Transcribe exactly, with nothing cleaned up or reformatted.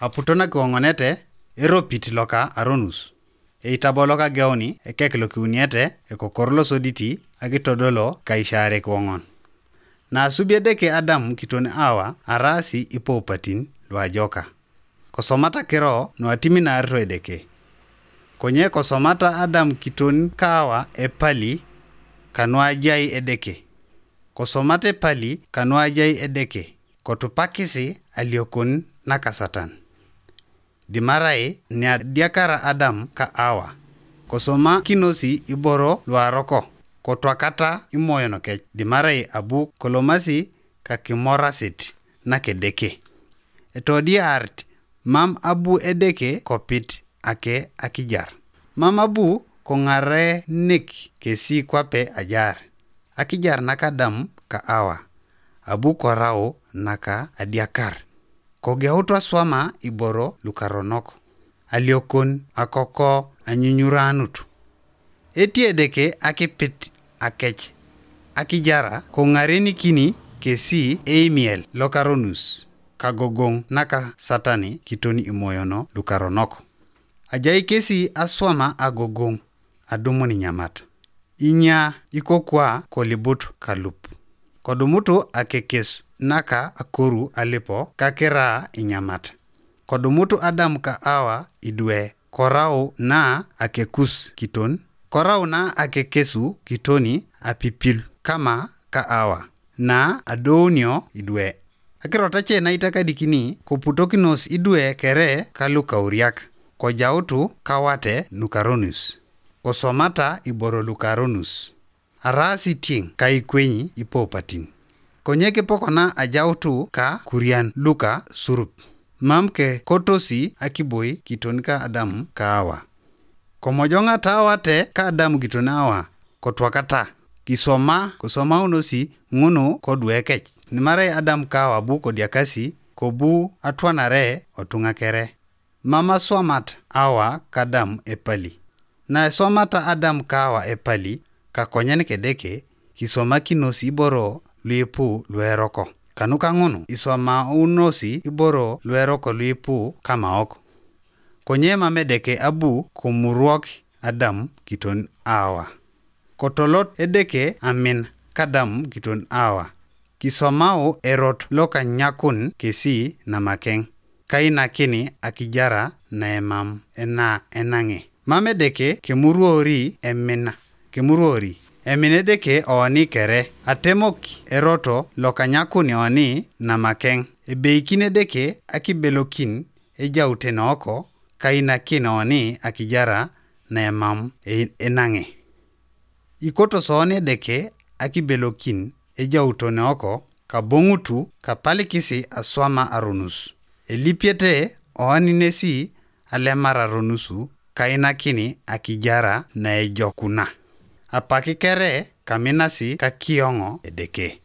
Aputo nakiwoŋonete eropit loka aronus. Eitabo lokageuni ekek lokiuniete ekokor losoditi akitodolo kaishaarek woŋon. Naasubi Edeke Adam kiton Awa araasi ipoupatin luajoka. Kosomata kiro nuatiminarito Edeke. Konye kosomata Adam kiton ka Awa epali kanuajai Edeke. Kosomata epali kanuajai Edeke, kotupakisi aliokon naka Satan. Dimarai niadiakara Adam ka Awa, kosomakinosi iboro luaroko, kotwakata imoyon kec, dimarai abu kolomasi kakimorasit nakedeke. Etodiarit, mam abu Edeke kopit ake akijar. Mam abu koŋarenik kesi kwape ajar. Akijar naka Adam ka Awa, abu korau naka adiakar. Kogeutu aswama iboro lukaronok, aliokon akoko anyunyuranut. Eti Edeke akipit akec akijara koŋarenikini kesi eimiel lokaronus, kagogoŋ naka Satani kiton imoyono lukaronok. Ajai kesi aswama agogoŋ, adumun inyamat. Inya ikokwa kolibut kalup. Kodumutu akekes naka akoru alipo kakira inyamat. Kodumutu Adam ka Awa idwe, korau na akekus kiton, korau na akekesu kitoni apipil kama ka Awa, na adounio idwe. Akirot ace naitakadikini koputokinos idwe kere kalukauriak, kojautu kawate nukaronus, kosomata iboro lukaronus. Araasi tieŋ kaikwenyi ipoupatin. Konye kipokona ajautu ka kurian luka surup. Mam kekotosi akiboi kiton ka Adam ka Awa. Komojoŋata awate ka Adam kiton Awa, kotwakata, kisoma, kosomaunosi ŋunu koduekec. Nimarai Adam ka Awa bu kodiakasi, kobu atwanare otuŋa kere. Mam aswamat Awa ka Adam epali. Naeswamata Adam ka Awa epali, kakonyen kedeke, kisomakinos iboro luipu lueroko. Kanuka ŋunu iswamaunosi iboro lueroko luipu kamaok. Konye mam Edeke abu komurwok Adam kiton Awa. Kotolot Edeke amin ka Adam kiton Awa, kisomau erot lokanyakun kesi namakeŋ, kainakini akijara naemam ena enaŋe. Mam Edeke kemuruori emina, kemuruori emin Edeke oni kere, atemok eroto lokanyakun oni namakeŋ. Ebeikin Edeke akibelokin ejautene oko, kainakin oni akijara naemam e-, enaŋe. Ikotos oni Edeke akibelokin ejautene oko, kaboŋutu kapalikisi aswama aronus. Elipiete oni nesi alemar aronusu, kainakini akijara naejokuna. Apaki kere kaminasi kakioŋo Edeke.